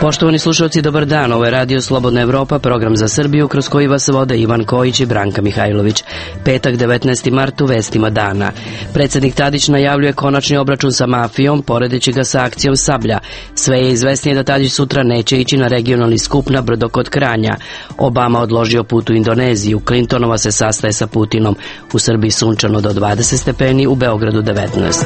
Poštovani slušalci, dobar dan. Ovo je Radio Slobodna Evropa, program za Srbiju kroz koji vas vode Ivan Kojić i Branka Mihajlović. Petak, 19. mart, u vestima dana. Predsjednik Tadić najavljuje konačni obračun sa mafijom, poredeći ga sa akcijom Sablja. Sve je izvesnije da Tadić sutra neće ići na regionalni skup na brdo kod Kranja. Obama odložio put u Indoneziju, Clintonova se sastaje sa Putinom. U Srbiji sunčano do 20 stepeni, u Beogradu 19.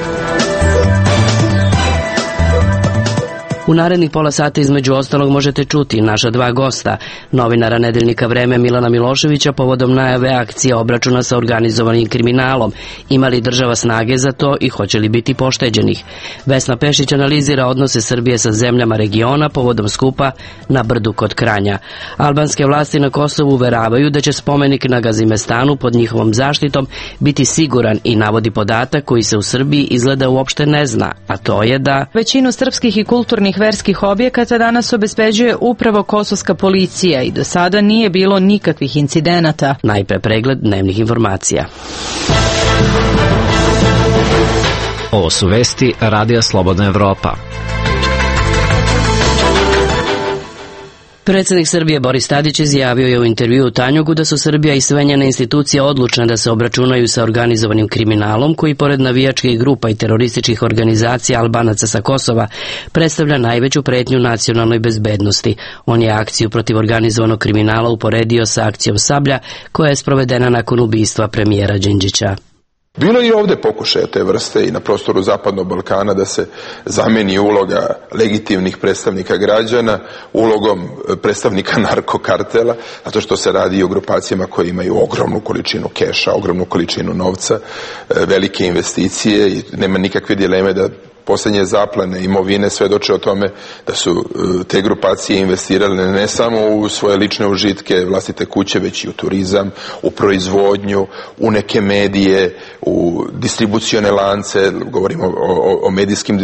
U narednih pola sata između ostalog možete čuti naša dva gosta, novinara nedeljnika Vreme Milana Miloševića povodom najave akcije obračuna sa organizovanim kriminalom. Ima li država snage za to i hoće li biti pošteđenih? Vesna Pešić analizira odnose Srbije sa zemljama regiona povodom skupa na brdu kod Kranja. Albanske vlasti na Kosovu uveravaju da će spomenik na Gazimestanu pod njihovom zaštitom biti siguran i navodi podatak koji se u Srbiji izgleda uopšte ne zna, a to je da većinu srpskih i kulturnih verskih objekata danas obezbeđuje upravo kosovska policija i do sada nije bilo nikakvih incidenata. Najpre pregled dnevnih informacija. Ovo su vesti Radija Slobodna Evropa. Predsjednik Srbije Boris Tadić izjavio je u intervjuu u Tanjugu da su Srbija i sve njene institucije odlučne da se obračunaju sa organizovanim kriminalom koji pored navijačkih grupa i terorističkih organizacija Albanaca sa Kosova predstavlja najveću pretnju nacionalnoj bezbednosti. On je akciju protiv organizovanog kriminala uporedio sa akcijom Sablja koja je sprovedena nakon ubistva premijera Đinđića. Bilo je i ovdje pokušaja te vrste i na prostoru Zapadnog Balkana da se zameni uloga legitimnih predstavnika građana ulogom predstavnika narkokartela, zato što se radi i o grupacijama koje imaju ogromnu količinu keša, ogromnu količinu novca, velike investicije i nema nikakve dileme da posljednje zaplene imovine svedoče o tome da su te grupacije investirale ne samo u svoje lične užitke, vlastite kuće, već i u turizam, u proizvodnju, u neke medije, u distribucione lance, govorimo o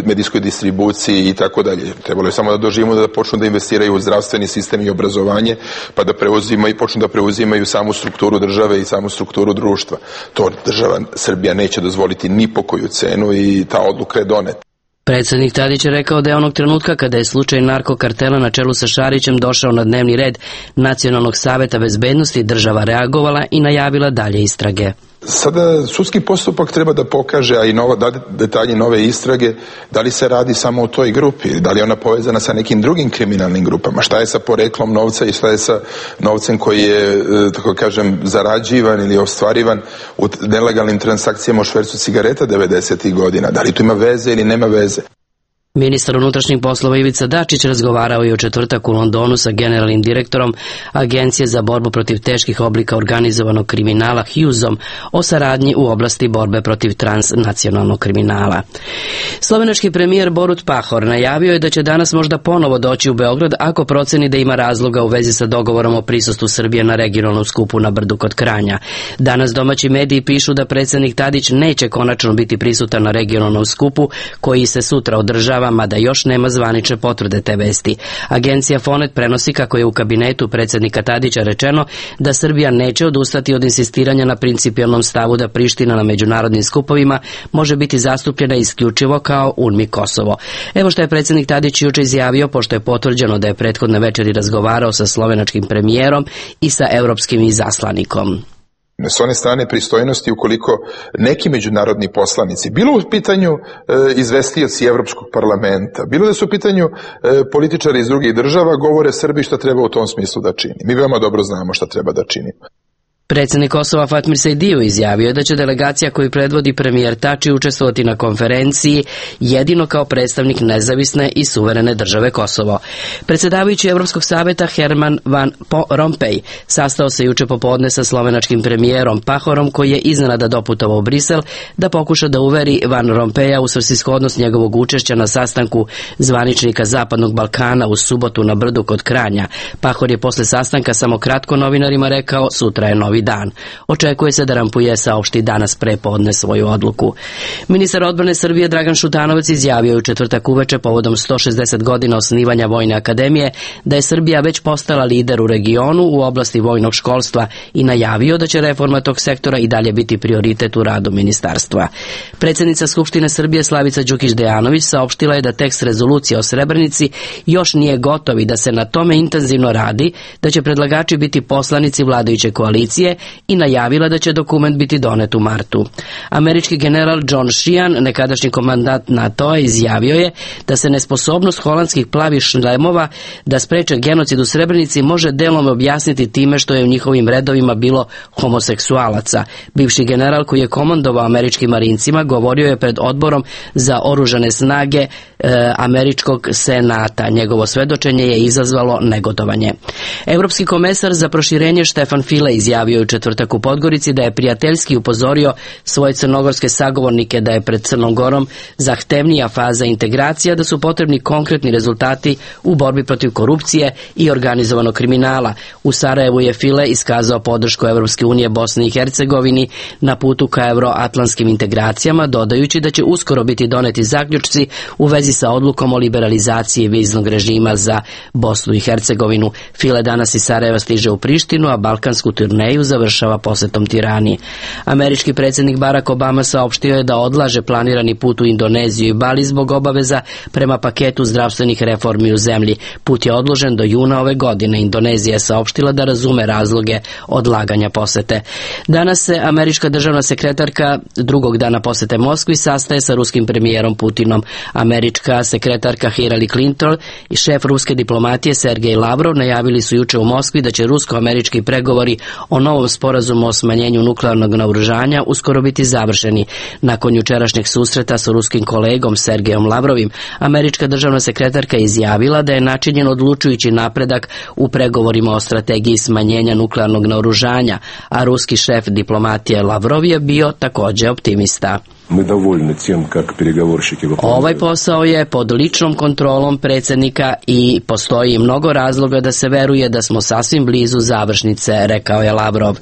medijskoj distribuciji i tako dalje. Trebalo je samo da doživimo da počnu da investiraju u zdravstveni sistem i obrazovanje, pa da preuzimaju i počnu da preuzimaju samu strukturu države i samu strukturu društva. To država Srbija neće dozvoliti ni po koju cenu i ta odluka je doneta. Predsjednik Tadić je rekao da je onog trenutka kada je slučaj narkokartela na čelu sa Šarićem došao na dnevni red Nacionalnog saveta bezbednosti, država reagovala i najavila dalje istrage. Sada sudski postupak treba da pokaže, a i detalji nove istrage, da li se radi samo o toj grupi, da li je ona povezana sa nekim drugim kriminalnim grupama, šta je sa poreklom novca i šta je sa novcem koji je, tako kažem, zarađivan ili ostvarivan u nelegalnim transakcijama u švercu cigareta 90. godina, da li tu ima veze ili nema veze. Ministar unutrašnjih poslova Ivica Dačić razgovarao je u četvrtak u Londonu sa generalnim direktorom Agencije za borbu protiv teških oblika organizovanog kriminala Hughesom o saradnji u oblasti borbe protiv transnacionalnog kriminala. Slovenački premijer Borut Pahor najavio je da će danas možda ponovo doći u Beograd ako proceni da ima razloga u vezi sa dogovorom o prisustvu Srbije na regionalnom skupu na brdu kod Kranja. Danas domaći mediji pišu da predsjednik Tadić neće konačno biti prisutan na regionalnom skupu koji se sutra održava, mada još nema zvanične potvrde te vesti. Agencija Fonet prenosi kako je u kabinetu predsjednika Tadića rečeno da Srbija neće odustati od insistiranja na principijelnom stavu da Priština na međunarodnim skupovima može biti zastupljena isključivo kao UNMI Kosovo. Evo što je predsjednik Tadić juče izjavio, pošto je potvrđeno da je prethodne večeri razgovarao sa slovenačkim premijerom i sa europskim izaslanikom. S one strane pristojnosti, ukoliko neki međunarodni poslanici, bilo u pitanju izvestioci Evropskog parlamenta, bilo da su u pitanju političari iz drugih država, govore Srbiji šta treba u tom smislu da čini. Mi veoma dobro znamo šta treba da činimo. Predsjednik Kosova Fatmir Sejdiu izjavio je da će delegacija koju predvodi premijer Tači učestvovati na konferenciji jedino kao predstavnik nezavisne i suverene države Kosovo. Predsjedavajući Evropskog saveta Herman Van Rompuy sastao se juče popodne sa slovenačkim premijerom Pahorom koji je iznenada doputovao u Brisel da pokuša da uveri Van Rompuya u svrsishodnost njegovog učešća na sastanku zvaničnika Zapadnog Balkana u subotu na brdu kod Kranja. Pahor je posle sastanka samo kratko novinarima rekao: sutra je novi Rampujevi dan. Očekuje se da Rampuje saopšti danas prepodne svoju odluku. Ministar odbrane Srbije Dragan Šutanovac izjavio je u četvrtak uveče povodom 160 godina osnivanja Vojne akademije da je Srbija već postala lider u regionu u oblasti vojnog školstva i najavio da će reforma tog sektora i dalje biti prioritet u radu ministarstva. Predsjednica Skupštine Srbije Slavica Đukić Dejanović saopštila je da tekst rezolucije o Srebrenici još nije gotov i da se na tome intenzivno radi, da će predlagači biti poslanici vladajuće koalicije i najavila da će dokument biti donet u martu. Američki general John Sheehan, nekadašnji komandant NATO-a, izjavio je da se nesposobnost holandskih plavih šlemova da spreče genocid u Srebrenici može delom objasniti time što je u njihovim redovima bilo homoseksualaca. Bivši general koji je komandovao američkim marincima govorio je pred odborom za oružane snage američkog senata. Njegovo svedočenje je izazvalo negodovanje. Evropski komesar za proširenje Štefan File izjavio je u četvrtak u Podgorici da je prijateljski upozorio svoje crnogorske sagovornike da je pred Crnom Gorom zahtevnija faza integracija, da su potrebni konkretni rezultati u borbi protiv korupcije i organizovanog kriminala. U Sarajevu je File iskazao podršku Evropske unije Bosni i Hercegovini na putu ka euroatlantskim integracijama, dodajući da će uskoro biti doneti zaključci u vezi sa odlukom o liberalizaciji viznog režima za Bosnu i Hercegovinu. File danas iz Sarajeva stiže u Prištinu, a balkansku turneju završava posetom Tirani. Američki predsjednik Barack Obama saopštio je da odlaže planirani put u Indoneziju i Bali zbog obaveza prema paketu zdravstvenih reformi u zemlji. Put je odložen do juna ove godine. Indonezija je saopštila da razume razloge odlaganja posete. Danas se američka državna sekretarka drugog dana posete Moskvi sastaje sa ruskim premijerom Putinom. Američka sekretarka Hillary Clinton i šef ruske diplomatije Sergej Lavrov najavili su juče u Moskvi da će rusko-američki pregovori o novom sporazumu o smanjenju nuklearnog naoružanja uskoro biti završeni. Nakon jučerašnjeg susreta sa ruskim kolegom Sergejom Lavrovim, američka državna sekretarka izjavila da je načinjen odlučujući napredak u pregovorima o strategiji smanjenja nuklearnog naoružanja, a ruski šef diplomatije Lavrov je bio također optimista. Ovaj posao je pod ličnom kontrolom predsjednika i postoji mnogo razloga da se veruje da smo sasvim blizu završnice, rekao je Lavrov.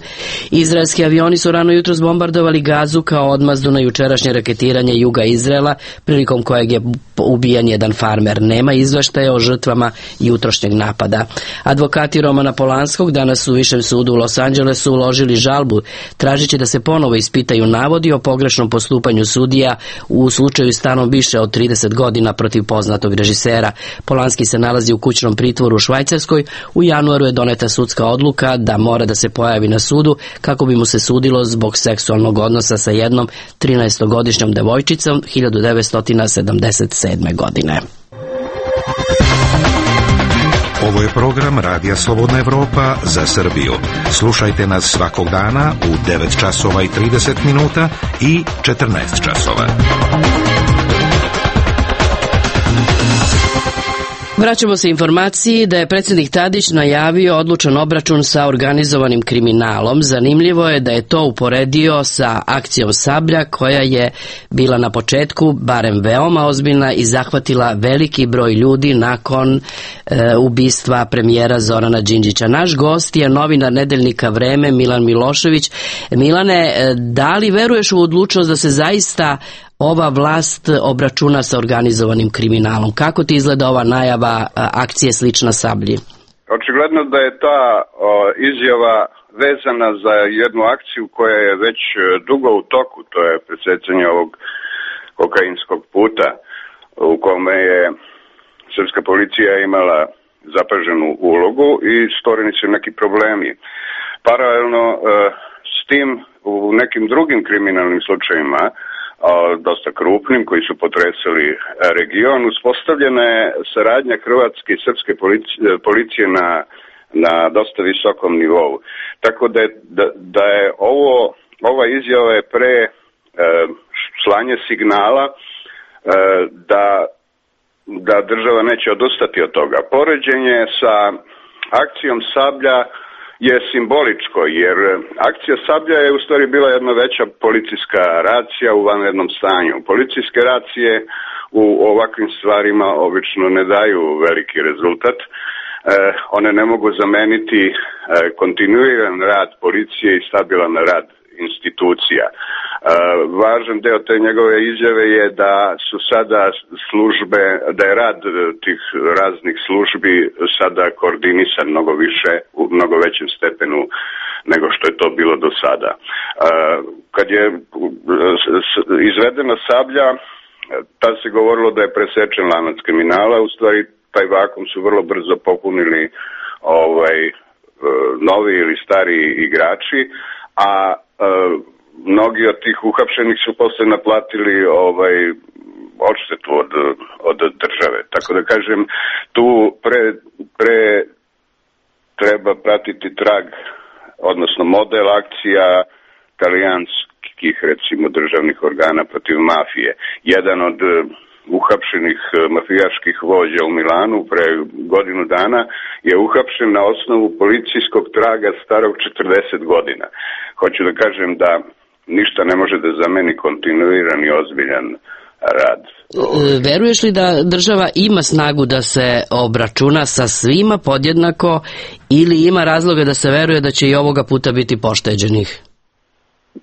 Izraelski avioni su rano jutros bombardovali Gazu kao odmazdu na jučerašnje raketiranje juga Izraela, prilikom kojeg je ubijen jedan farmer. Nema izveštaja o žrtvama jutrošnjeg napada. Advokati Romana Polanskog danas u Višem sudu u Los Angelesu uložili žalbu, tražeći da se ponovo ispitaju navodi o pogrešnom postupanju sudija u slučaju stanom više od 30 godina protiv poznatog režisera. Polanski se nalazi u kućnom pritvoru u Švajcarskoj. U januaru je doneta sudska odluka da mora da se pojavi na sudu kako bi mu se sudilo zbog seksualnog odnosa sa jednom 13-godišnjom devojčicom 1977. godine. Ovo je program Radija Slobodna Evropa za Srbiju. Slušajte nas svakog dana u 9 časova i 30 minuta i 14 časova. Vraćamo se informaciji da je predsjednik Tadić najavio odlučan obračun sa organizovanim kriminalom. Zanimljivo je da je to uporedio sa akcijom Sablja koja je bila na početku barem veoma ozbiljna i zahvatila veliki broj ljudi nakon ubistva premijera Zorana Đinđića. Naš gost je novinar nedeljnika Vreme Milan Milošević. Milane, da li veruješ u odlučnost da se zaista ova vlast obračuna sa organizovanim kriminalom? Kako ti izgleda ova najava akcije slična Sablji? Očigledno da je ta izjava vezana za jednu akciju koja je već dugo u toku, to je presecanje ovog kokainskog puta u kome je srpska policija imala zapaženu ulogu i stvoreni su neki problemi. Paralelno s tim u nekim drugim kriminalnim slučajima, dosta krupnim, koji su potresali region, uspostavljena je saradnja hrvatske i srpske policije na dosta visokom nivou. Tako da je ova izjava je pre slanje signala da država neće odustati od toga. Poređenje sa akcijom Sablja je simboličko, jer akcija Sablja je u stvari bila jedna veća policijska racija u vanrednom stanju. Policijske racije u ovakvim stvarima obično ne daju veliki rezultat, one ne mogu zameniti kontinuiran rad policije i stabilan rad institucija. Važan deo te njegove izjave je da su sada službe, da je rad tih raznih službi sada koordinisan mnogo više, u mnogo većem stepenu nego što je to bilo do sada. Kad je izvedena Sablja, tad se govorilo da je presečen lanac kriminala, u stvari taj vakum su vrlo brzo popunili novi ili stari igrači, a mnogi od tih uhapšenih su posle naplatili odštetu od države. Tako da kažem, tu pre treba pratiti trag, odnosno model akcija talijanskih, recimo, državnih organa protiv mafije. Jedan od uhapšenih mafijaških vođa u Milanu pre godinu dana je uhapšen na osnovu policijskog traga starog 40 godina. Hoću da kažem da ništa ne može da zameni kontinuiran i ozbiljan rad. Veruješ li da država ima snagu da se obračuna sa svima podjednako ili ima razloga da se veruje da će i ovoga puta biti pošteđenih?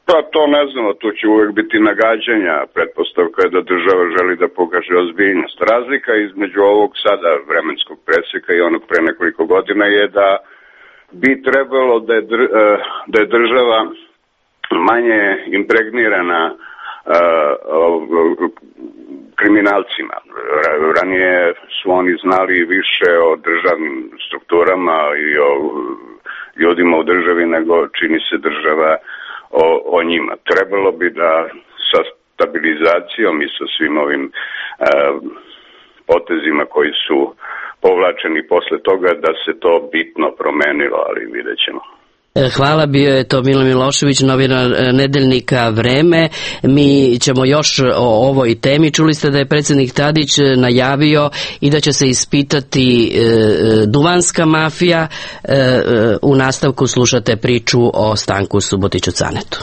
Pa to ne znamo, tu će uvek biti nagađanja. Pretpostavka je da država želi da pokaže ozbiljnost. Razlika između ovog sada vremenskog preseka i onog pre nekoliko godina je da bi trebalo da je država manje impregnirana kriminalcima. Ranije su oni znali više o državnim strukturama i o ljudima u državi nego čini se država o njima. Trebalo bi da sa stabilizacijom i sa svim ovim potezima koji su povlačeni posle toga da se to bitno promenilo, ali vidjet ćemo. Hvala, bio je to Milo Milošević, novinar nedeljnika Vreme. Mi ćemo još o ovoj temi. Čuli ste da je predsjednik Tadić najavio i da će se ispitati duvanska mafija. U nastavku slušate priču o Stanku Subotiću Canetu.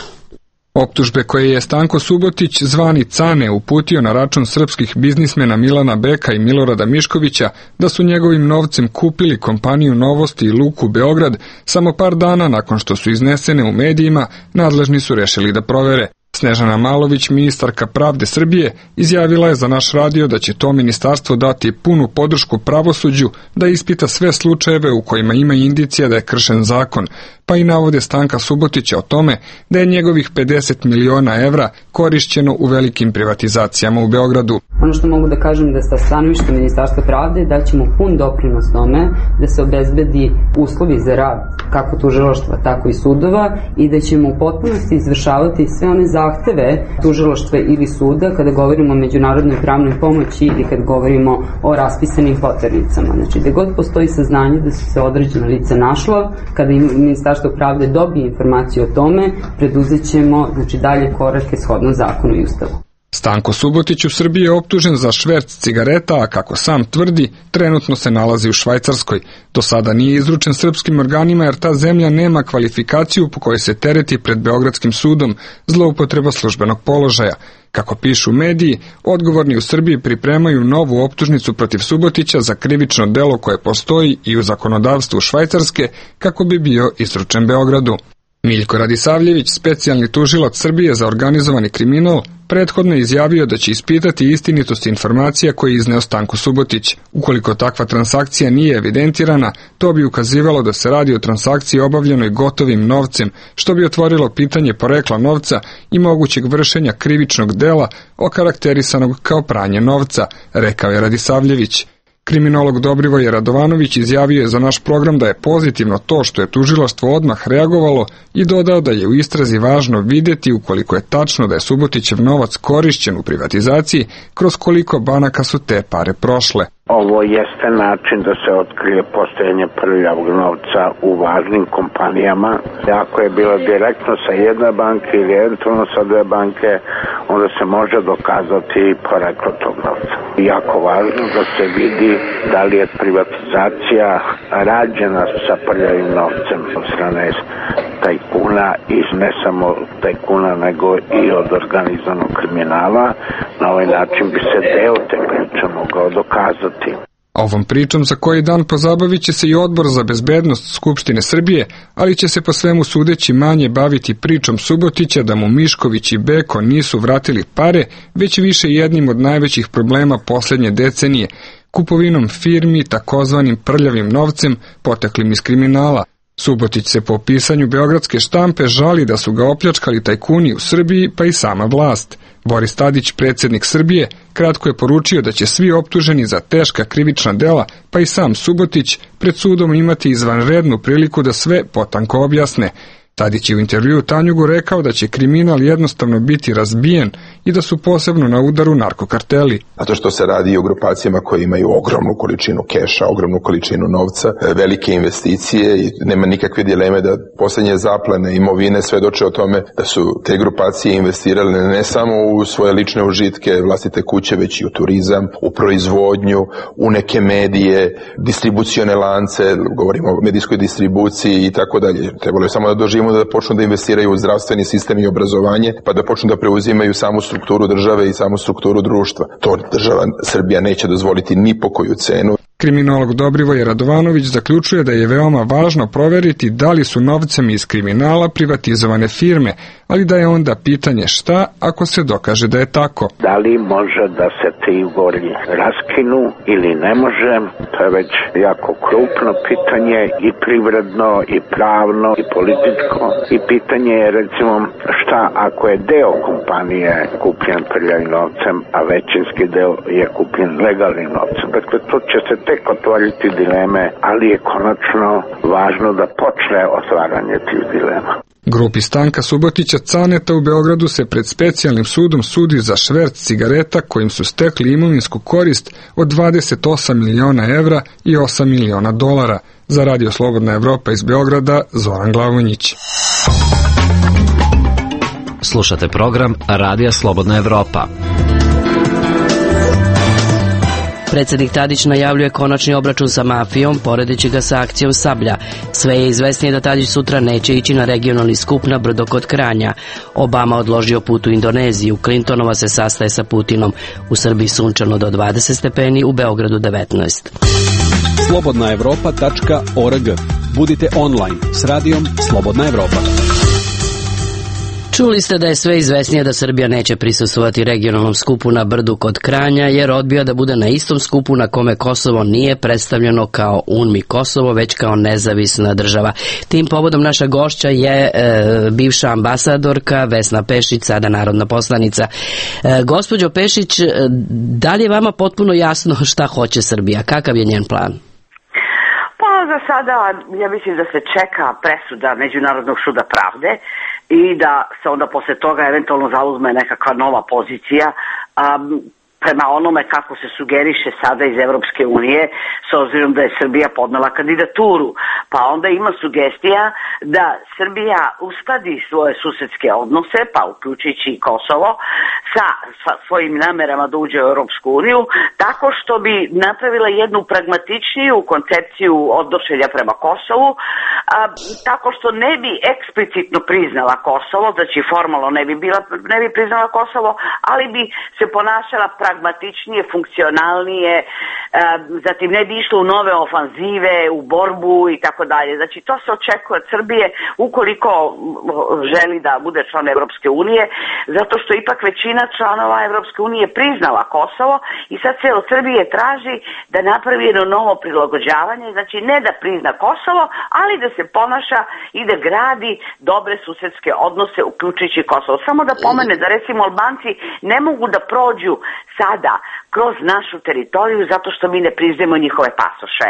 Optužbe koje je Stanko Subotić, zvani Cane, uputio na račun srpskih biznismena Milana Beka i Milorada Miškovića da su njegovim novcem kupili kompaniju Novosti i Luku Beograd, samo par dana nakon što su iznesene u medijima, nadležni su rešili da provere. Snežana Malović, ministarka pravde Srbije, izjavila je za naš radio da će to ministarstvo dati punu podršku pravosuđu da ispita sve slučajeve u kojima ima indicija da je kršen zakon, pa i navode Stanka Subotića o tome da je njegovih 50 miliona evra korišćeno u velikim privatizacijama u Beogradu. Ono što mogu da kažem da sa stanovišta Ministarstva pravde da ćemo pun doprinos tome da se obezbedi uslovi za rad kako tužilaštva, tako i sudova i da ćemo u potpunosti izvršavati sve one zahteve tužilaštva ili suda kada govorimo o međunarodnoj pravnoj pomoći ili kad govorimo o raspisanim poternicama. Znači, da god postoji saznanje da su se određena lica našla, kada Ministarstvo pravde dobije informaciju o tome, preduzet ćemo dalje korake shodno zakonu i ustavu. Stanko Subotić u Srbiji je optužen za šverc cigareta, a kako sam tvrdi, trenutno se nalazi u Švajcarskoj. Do sada nije izručen srpskim organima jer ta zemlja nema kvalifikaciju po kojoj se tereti pred Beogradskim sudom zloupotreba službenog položaja. Kako pišu mediji, odgovorni u Srbiji pripremaju novu optužnicu protiv Subotića za krivično delo koje postoji i u zakonodavstvu Švajcarske kako bi bio izručen Beogradu. Miljko Radisavljević, specijalni tužilac Srbije za organizovani kriminal, prethodno je izjavio da će ispitati istinitost informacija koje je izneo Stanko Subotić. Ukoliko takva transakcija nije evidentirana, to bi ukazivalo da se radi o transakciji obavljenoj gotovim novcem, što bi otvorilo pitanje porekla novca i mogućeg vršenja krivičnog dela okarakterisanog kao pranje novca, rekao je Radisavljević. Kriminolog Dobrivoje Radovanović izjavio je za naš program da je pozitivno to što je tužilaštvo odmah reagovalo i dodao da je u istrazi važno vidjeti ukoliko je tačno da je Subotićev novac korišćen u privatizaciji, kroz koliko banaka su te pare prošle. Ovo jeste način da se otkrije postojanje prljavog novca u važnim kompanijama. Ako je bilo direktno sa jedne banke ili eventualno sa dve banke, onda se može dokazati poreklo tog novca. Jako važno da se vidi da li je privatizacija rađena sa prljavim novcem od strane tajkuna i ne samo tajkuna nego i od organizovanog kriminala. Na ovaj način bi se deo te priče mogao dokazati. Ovom pričom za koji dan pozabavit će se i Odbor za bezbednost Skupštine Srbije, ali će se po svemu sudeći manje baviti pričom Subotića da mu Mišković i Beko nisu vratili pare, već više jednim od najvećih problema posljednje decenije, kupovinom firmi takozvanim prljavim novcem poteklim iz kriminala. Subotić se po pisanju beogradske štampe žali da su ga opljačkali tajkuni u Srbiji, pa i sama vlast. Boris Tadić, predsjednik Srbije, kratko je poručio da će svi optuženi za teška krivična dela, pa i sam Subotić, pred sudom imati izvanrednu priliku da sve potanko objasne. Tadić je u intervjuu Tanjugu rekao da će kriminal jednostavno biti razbijen i da su posebno na udaru narkokarteli. Zato što se radi o grupacijama koje imaju ogromnu količinu keša, ogromnu količinu novca, velike investicije i nema nikakve dileme da posljednje zaplene imovine svedoče o tome da su te grupacije investirale ne samo u svoje lične užitke, vlastite kuće, već i u turizam, u proizvodnju, u neke medije, distribucione lance, govorimo o medijskoj distribuciji i tako dalje. Trebalo je samo da doživimo da počnu da investiraju u zdravstveni sistem i obrazovanje, pa da počnu da preuzimaju samu strukturu države i samu strukturu društva. To država Srbija neće dozvoliti ni po koju cenu. Kriminolog Dobrivoje Radovanović zaključuje da je veoma važno proveriti da li su novcem iz kriminala privatizovane firme, ali da je onda pitanje šta ako se dokaže da je tako. Da li može da se ti ugovori raskinu ili ne može, to je već jako krupno pitanje i privredno i pravno i političko i pitanje je recimo šta ako je deo kompanije kupljen prljavim novcem, a većinski deo je kupljen legalnim novcem. Dakle, to će se tek otvoriti dileme, ali je konačno važno da počne otvaranje tih dilema. Grupi Stanka Subotića Caneta u Beogradu se pred specijalnim sudom sudi za šverc cigareta kojim su stekli imovinsku korist od 28 miliona evra i 8 miliona dolara. Za Radio Slobodna Evropa iz Beograda, Zoran Glavonjić. Slušate program Radija Slobodna Evropa. Predsjednik Tadić najavljuje konačni obračun sa mafijom, poredeći ga sa akcijom Sablja. Sve je izvesnije da Tadić sutra neće ići na regionalni skup na brdo kod Kranja. Obama odložio put u Indoneziju, Clintonova se sastaje sa Putinom. U Srbiji sunčano do 20 stepeni, u Beogradu 19. slobodnaevropa.org. Budite online s radijom Slobodna Evropa. Čuli ste da je sve izvesnije da Srbija neće prisustvovati regionalnom skupu na brdu kod Kranja, jer odbija da bude na istom skupu na kome Kosovo nije predstavljeno kao UNMI Kosovo, već kao nezavisna država. Tim povodom naša gošća je bivša ambasadorka Vesna Pešić, sada narodna poslanica. Gospođo Pešić, da li je vama potpuno jasno šta hoće Srbija? Kakav je njen plan? Pa za sada ja mislim da se čeka presuda Međunarodnog suda pravde i da se onda posle toga eventualno zauzme nekakva nova pozicija prema onome kako se sugeriše sada iz Evropske unije, s obzirom da je Srbija podnela kandidaturu. Pa onda ima sugestija da Srbija uskladi svoje susedske odnose, pa uključujući i Kosovo, sa svojim namerama da uđe u Europsku uniju, tako što bi napravila jednu pragmatičniju koncepciju odnošenja prema Kosovu, tako što ne bi eksplicitno priznala Kosovo, znači formalno ne bi priznala Kosovo, ali bi se ponašala pragmatičnije, funkcionalnije, zatim ne bi išlo u nove ofanzive, u borbu i tako dalje. Znači to se očekuje od Srbije ukoliko želi da bude član Evropske unije, zato što ipak većina članova Evropske unije priznala Kosovo i sad se od Srbije traži da napravi jedno novo prilagođavanje, znači ne da prizna Kosovo, ali da se ponaša i da gradi dobre susedske odnose uključujući Kosovo. Samo da pomene da recimo Albanci ne mogu da prođu sada kroz našu teritoriju zato što mi ne priznajemo njihove pasoše.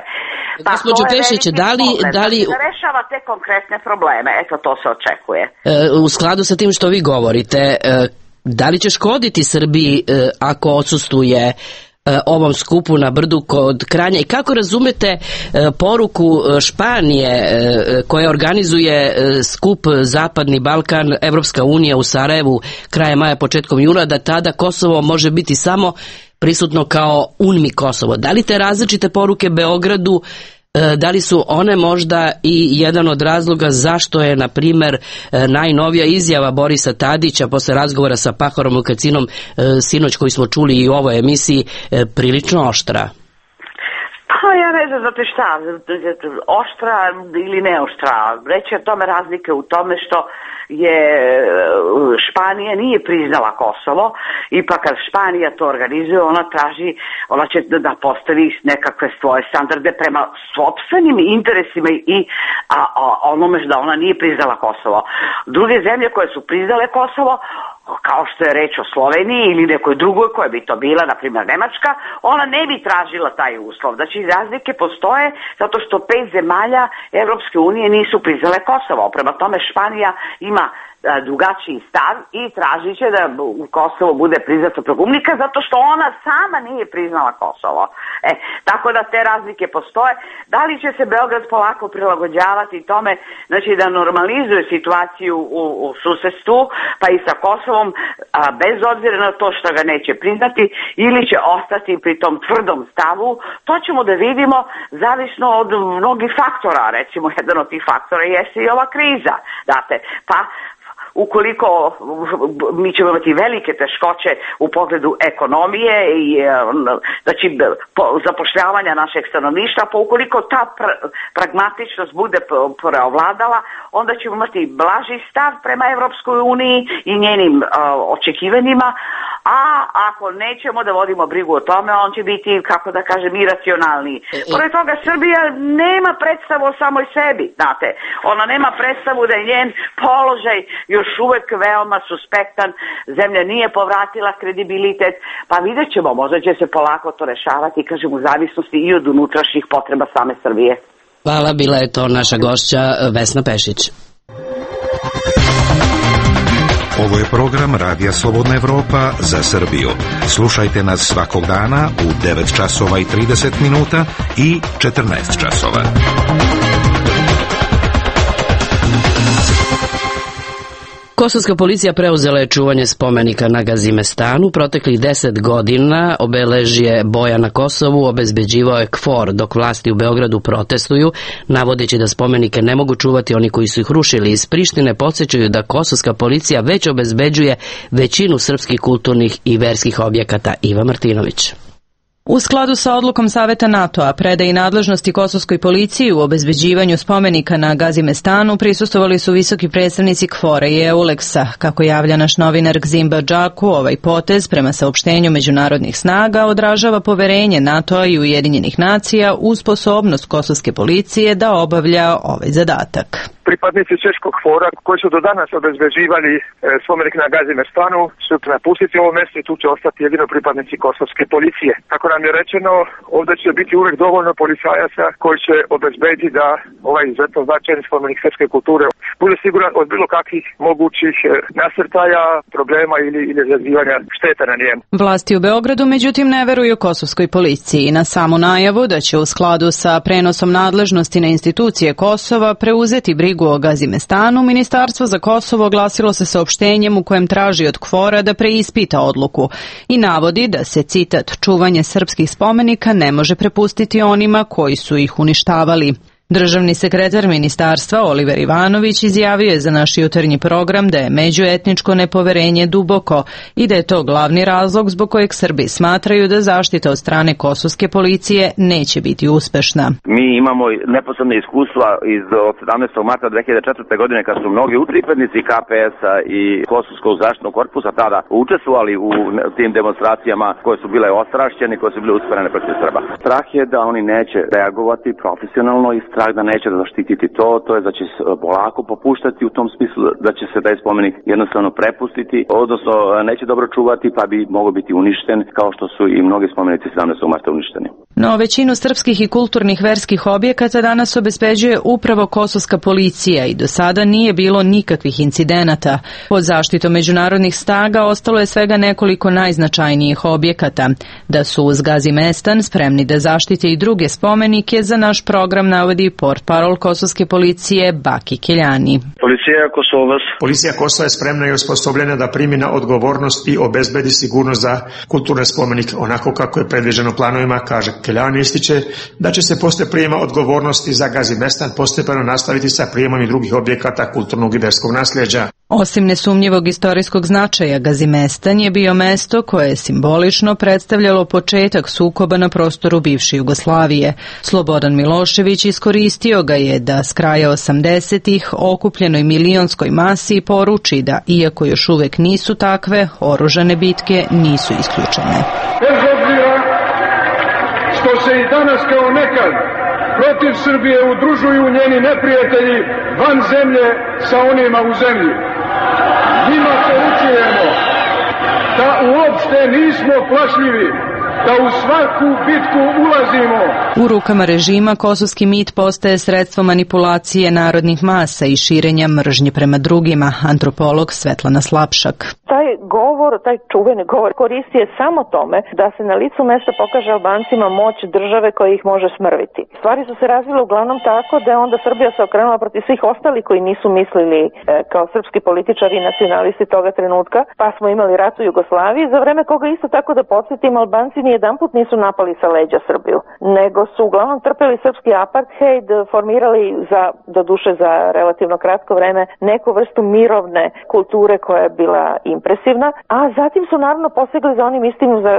Pa gospođo Pešić, da li da rešava te konkretne probleme, eto to se očekuje. U skladu sa tim što vi govorite, da li će škoditi Srbiji ako odsustuje ovom skupu na brdu kod Kranja i kako razumete poruku Španije koja organizuje skup Zapadni Balkan, Evropska unija u Sarajevu krajem maja, početkom juna, da tada Kosovo može biti samo prisutno kao UNMI Kosovo. Da li te različite poruke Beogradu, da li su one možda i jedan od razloga zašto je, na primjer, najnovija izjava Borisa Tadića posle razgovora sa Pahorom Lukacinom sinoć koji smo čuli i u ovoj emisiji prilično oštra? Pa ja ne znam, znate šta, oštra ili neoštra. Reći o tome razlike u tome što je Španija nije priznala Kosovo i pa kad Španija to organizuje, ona će da postavi nekakve svoje standarde prema sopstvenim interesima i onome da ona nije priznala Kosovo. Druge zemlje koje su priznale Kosovo, kao što je reč o Sloveniji ili nekoj drugoj koja bi to bila, na primjer Nemačka, ona ne bi tražila taj uslov. Znači razlike postoje zato što 5 zemalja Evropske unije nisu priznale Kosovo. Prema tome Španija ima drugačiji stav i tražit će da Kosovo bude priznato progumnika zato što ona sama nije priznala Kosovo. Tako da te razlike postoje. Da li će se Beograd polako prilagođavati tome, znači da normalizuje situaciju u susedstvu, pa i sa Kosovom, bez obzira na to što ga neće priznati, ili će ostati pri tom tvrdom stavu, to ćemo da vidimo zavisno od mnogih faktora. Recimo, jedan od tih faktora jeste i ova kriza. Pa ukoliko mi ćemo imati velike teškoće u pogledu ekonomije i znači zapošljavanja našeg stanovništva, pa ukoliko ta pragmatičnost bude preovladala, onda ćemo imati blaži stav prema Evropskoj uniji i njenim očekivanjima, a ako nećemo da vodimo brigu o tome, on će biti, kako da kažem, iracionalniji. Pored toga, Srbija nema predstavu o samoj sebi, znate. Ona nema predstavu da je njen položaj još uvek veoma suspektan, zemlja nije povratila kredibilitet, pa vidjet ćemo, možda će se polako to rešavati, kažem, u zavisnosti i od unutrašnjih potreba same Srbije. Hvala, bila je to naša gošća Vesna Pešić. Ovo je program Radija Slobodna Evropa za Srbiju. Slušajte nas svakog dana u 9 časova i 30 minuta i 14 časova. Kosovska policija preuzela je čuvanje spomenika na Gazimestanu. Proteklih 10 godina obeležje boja na Kosovu obezbeđivao je KFOR, dok vlasti u Beogradu protestuju, navodeći da spomenike ne mogu čuvati oni koji su ih rušili. Iz Prištine podsjećaju da kosovska policija već obezbeđuje većinu srpskih kulturnih i verskih objekata. Iva Martinović. U skladu sa odlukom Saveta NATO-a predaji nadležnosti kosovskoj policiji u obezbeđivanju spomenika na Gazimestanu prisustvovali su visoki predstavnici KFOR-a i EULEX-a. Kako javlja naš novinar Gzimba Džaku, ovaj potez prema saopštenju međunarodnih snaga odražava poverenje NATO-a i Ujedinjenih nacija u sposobnost kosovske policije da obavlja ovaj zadatak. Pripadnici češkog KFOR-a koji su do danas obezbeđivali spomenik na Gazimestanu su napustiti ovo mjesto i tu će ostati jedino pripadnici kosovske policije. Kako nam je rečeno, ovdje će biti uvijek dovoljno policajaca koji će obezbediti da ovaj izuzetno značajni spomenik srpske kulture bude siguran od bilo kakvih mogućih nasrtaja, problema ili izazivanja šteta na njemu. Vlasti u Beogradu međutim ne veruju kosovskoj policiji na samu najavu da će u skladu sa prenosom nadležnosti na institucije Kosova preuzeti brigu o Gazimestanu. Ministarstvo za Kosovo oglasilo se saopštenjem u kojem traži od KFOR-a da preispita odluku i navodi da se, citat, čuvanje srpskih spomenika ne može prepustiti onima koji su ih uništavali. Državni sekretar ministarstva Oliver Ivanović izjavio je za naš jutarnji program da je međuetničko nepoverenje duboko i da je to glavni razlog zbog kojeg Srbi smatraju da zaštita od strane kosovske policije neće biti uspešna. Mi imamo neposredne iskustva od 17. marta 2004. godine kad su mnogi pripadnici KPS-a i Kosovskog zaštitnog korpusa tada učestvovali u tim demonstracijama koje su bile ostrašćene, koje su bile usmerene protiv Srba. Strah je da oni neće reagovati profesionalno i strah da neće zaštititi to je da će se polako popuštati u tom smislu da će se taj spomenik jednostavno prepustiti, odnosno neće dobro čuvati pa bi mogao biti uništen kao što su i mnogi spomenici 17. marta uništeni. No, većinu srpskih i kulturnih verskih objekata danas obezbeđuje upravo kosovska policija i do sada nije bilo nikakvih incidenata. Pod zaštitom međunarodnih snaga ostalo je svega nekoliko najznačajnijih objekata. Da su uz Gazimestan spremni da zaštite i druge spomenike, za naš program navodi portparol kosovske policije Baki Keljani. Policija Kosova je spremna i osposobljena da primi na odgovornost i obezbedi sigurnost za kulturne spomenike, onako kako je predviđeno planovima, kaže Keljani ističe da će se posle prijema odgovornosti za Gazimestan postepeno nastaviti sa prijemom i drugih objekata kulturnog i verskog nasljeđa. Osim nesumnjivog istorijskog značaja, Gazimestan je bio mesto koje je simbolično predstavljalo početak sukoba na prostoru bivše Jugoslavije. Slobodan Milošević iskoristio ga je da s kraja 80-ih okupljenoj milionskoj masi poruči da, iako još uvek nisu takve, oružane bitke nisu isključene. Bez obzira što se i danas kao nekad protiv Srbije udružuju njeni neprijatelji van zemlje sa onima u zemlji, njima poručujemo da uopšte nismo plašljivi, da u svaku bitku ulazimo. U rukama režima kosovski mit postaje sredstvo manipulacije narodnih masa i širenja mržnje prema drugima, antropolog Svetlana Slapšak. Taj govor, taj čuveni govor koristi je samo tome da se na licu mesta pokaže Albancima moć države koja ih može smrviti. Stvari su se razvile uglavnom tako da je onda Srbija se okrenula protiv svih ostali koji nisu mislili kao srpski političari i nacionalisti toga trenutka, pa smo imali rat u Jugoslaviji, za vreme koga isto tako da podsjetim, Albanci nijedanput nisu napali sa leđa Srbiju, nego su uglavnom trpeli srpski apartheid, formirali doduše za relativno kratko vreme neku vrstu mirovne kulture koja je bila impresivna, a zatim su naravno posegli za onim istim za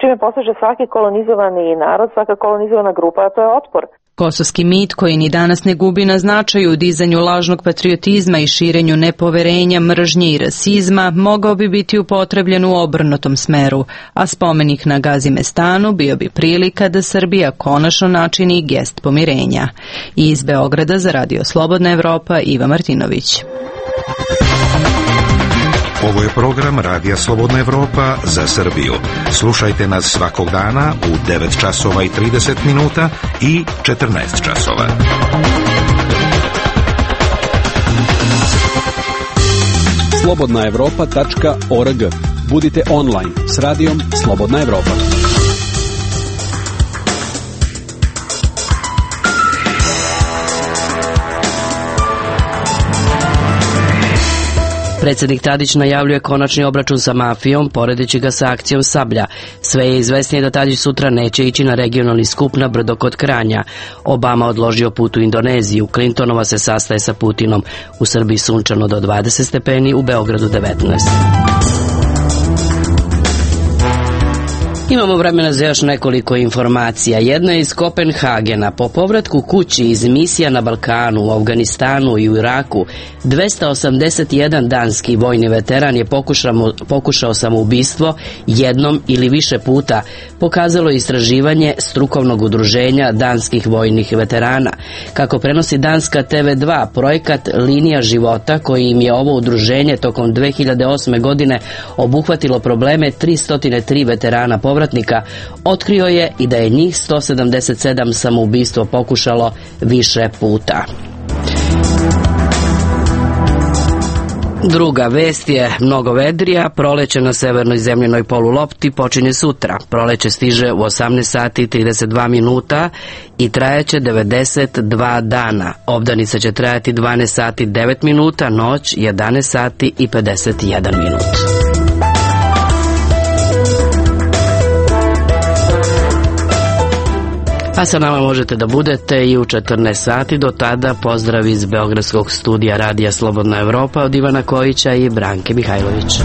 čime poseže svaki kolonizovani narod, svaka kolonizovana grupa, a to je otpor. Kosovski mit, koji ni danas ne gubi na značaju u dizanju lažnog patriotizma i širenju nepoverenja, mržnje i rasizma, mogao bi biti upotrebljen u obrnutom smeru, a spomenik na Gazimestanu bio bi prilika da Srbija konačno načini gest pomirenja. Iz Beograda za Radio Slobodna Evropa, Iva Martinović. Ovo je program Radija Slobodna Evropa za Srbiju. Slušajte nas svakog dana u 9 časova i 30 minuta i 14 časova. slobodnaevropa.org. Budite online s radijom Slobodna Evropa. Predsjednik Tadić najavljuje konačni obračun sa mafijom, poredeći ga sa akcijom Sablja. Sve je izvesnije da Tadić sutra neće ići na regionalni skup na brdo kod Kranja. Obama odložio put u Indoneziju, Clintonova se sastaje sa Putinom. U Srbiji sunčano do 20 stepeni, u Beogradu 19. Imamo vremena za još nekoliko informacija. Jedna je iz Kopenhagena. Po povratku kući iz misija na Balkanu, u Afganistanu i u Iraku, 281 danski vojni veteran je pokušao samoubistvo jednom ili više puta, pokazalo istraživanje strukovnog udruženja danskih vojnih veterana. Kako prenosi danska TV2, projekat Linija života, koji im je ovo udruženje tokom 2008. godine obuhvatilo probleme 303 veterana povratnika, otkrio je i da je njih 177 samoubistvo pokušalo više puta. Druga vest je mnogo vedrija. Proleće na severnoj zemljenoj polulopti počinje sutra. Proleće stiže u 18 sati i 32 minuta i trajaće 92 dana. Obdanica će trajati 12 sati i 9 minuta, noć 11 sati i 51 minut. A sa nama možete da budete i u 14 sati. Do tada pozdrav iz Beogradskog studija Radija Slobodna Evropa od Ivana Kojića i Branke Mihajlović.